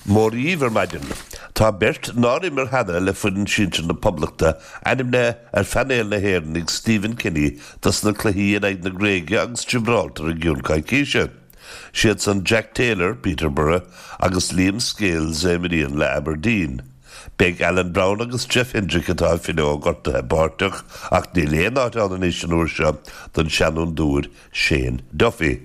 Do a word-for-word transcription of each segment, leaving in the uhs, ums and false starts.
Mora dhaoibh ar maidin. Tá beirt nár imir cheana le foireann sinsir na Poblachta ainmnithe ar phainéal na hÉireann ag Stephen Kenny dos na cluichí in aghaidh na Gréige agus Gibraltar i gceann coicíse. Siad san Jack Taylor, Peterborough agus Liam Scales a imríonn le Aberdeen. Beidh Alan Browne agus Jeff Hendrick atá ag filleadh ó ghortuithe páirteach ach níl aon áit ann anois an uair seo don seanfhondúir Shane Duffy.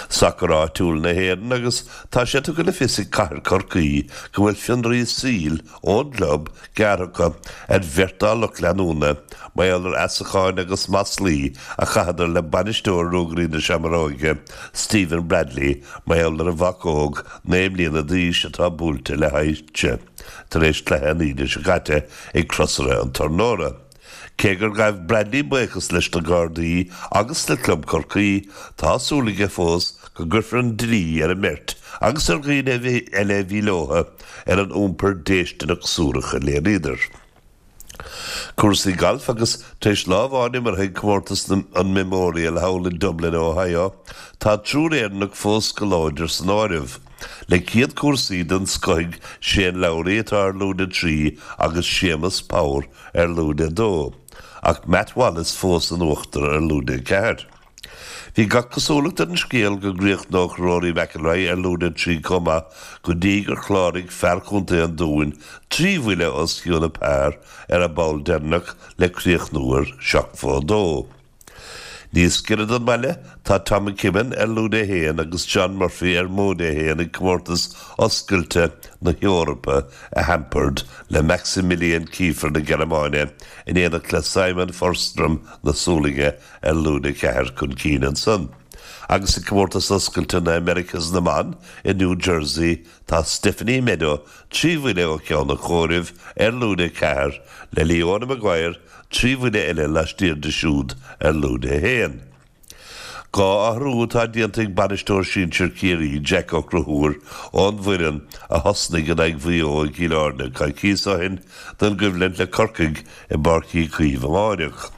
Sacar áitiúil na hÉireann agus tá sé tugtha le fios ag Cathair Chorcaí go bhfuil fionraí saoil ón gclub gearrtha ar bheirt dá lucht leanúna mar gheall ar fheasacháin agus maslaí a chaitheadar le bainisteoir Ruagairí na Seamróige Stephen Bradley mar gheall ar a mhac óg naoi mbliana d'aois atá buailte le hailse tar éis cluiche an Aoine seo caite ag Crosaire an Tornóra. Cé gur ghabh Bradley buíochas leis na Gardaí agus le Club Chorcaí tá súil aige fós go gcuirfear an dlí ar an mbeirt agus ar dhaoine eile a bhí leo ar an iompar déistineach suarach a léiríodar. Cúrsaí gailf agus tar éis lá amháin imeartha ag comórtas an Memorial thall in Dublin, Ohio, tá triúr Éireannach fós go láidir san áireamh. Le céad cúrsaí den scoth ag Shane Lowry atá ar lúide trí agus Séamus Power ar lúide dó, ach Matt Wallace fós in uachtar ar lúide ceathair. Bhí gach cosúlacht ar an scéal go gcríochnódh Rory McIlroy ar lúide trí chomh maith go dtí gur chláraigh fear Chontae an Dúin trí bhuille os cionn an par ar an bpoll deireanach le críochnú ar seachtó dó. Níos giorra don bhaile tá Tom McKibbin ar lúide haon agus John Murphy ar móide haon ag comórtas oscailte na hEorpa i Hamburg le Maximilian Kiefer na Gearmáine in éineacht le Simon Forsström na Sualainne ar lúide ceathair chun cinn ansan. Agus i comórtas oscailte na Americas na mban i New Jersey tá Stephanie Meadow trí bhuille ó cheann an chomhairimh ar lúide ceathair le Leona Maguire trí bhuille eile laistiar di siúd ar lúide haon. Dhá athrú atá déanta ag bainisteoir sinsir Chiarraí Jack Ó Conchúir ón bhfoireann a thosnaigh in aghaidh Mhaigh Eo i gCill Airne coicís ó shin don gcoimhlint le Corcaigh i bPáirc Uí Chaoimh amárach.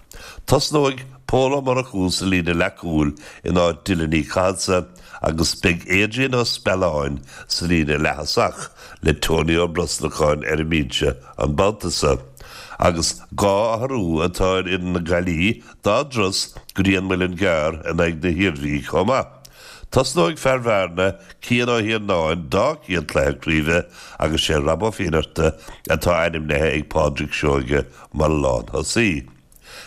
Tosnóidh Pól Ó Murchú sa líne leathchúil in áit Dylan Uí Chathasaigh agus beidh Adrian Ó Spealáin sa líne leath-thosach le Tony Ó Brosnacháin ar an mbinse an babhta seo. Agus dhá athrú atá ar fhoireann na Gaillimhe dá dturas go dtí an Muileann gCearr in aghaidh na hIarmhí chomh maith. Tosnóidh fear Bhearna Cian Ó hIarnáin dá chéad chluiche craoibhe agus sé Rob Ó Fiannachta atá ainmnithe ag Pádraig Seoige mar lánthosaí.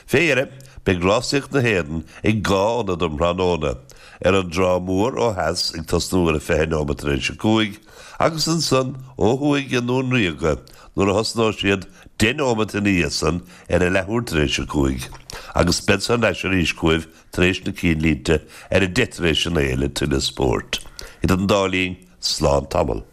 Fé dheireadh, beidh rásaíocht na hÉireann ag dhá ionad um thráthnóna, ar an dTrá Mhór ó theas ag tosnú ar a fiche nóiméad tar éis a cúig, agus ansan ó thuaidh i nDún Ríoga nuair a thosnóidh siad deich nóiméad ina dhiaidh san ar a leathuair tar éis a cúig, agus beidh thar n-ais arís chugaibh tar éis na cinnlínte ar a deich tar éis a naoi le tuilleadh spóirt. Idir an dá linn, slán tamall.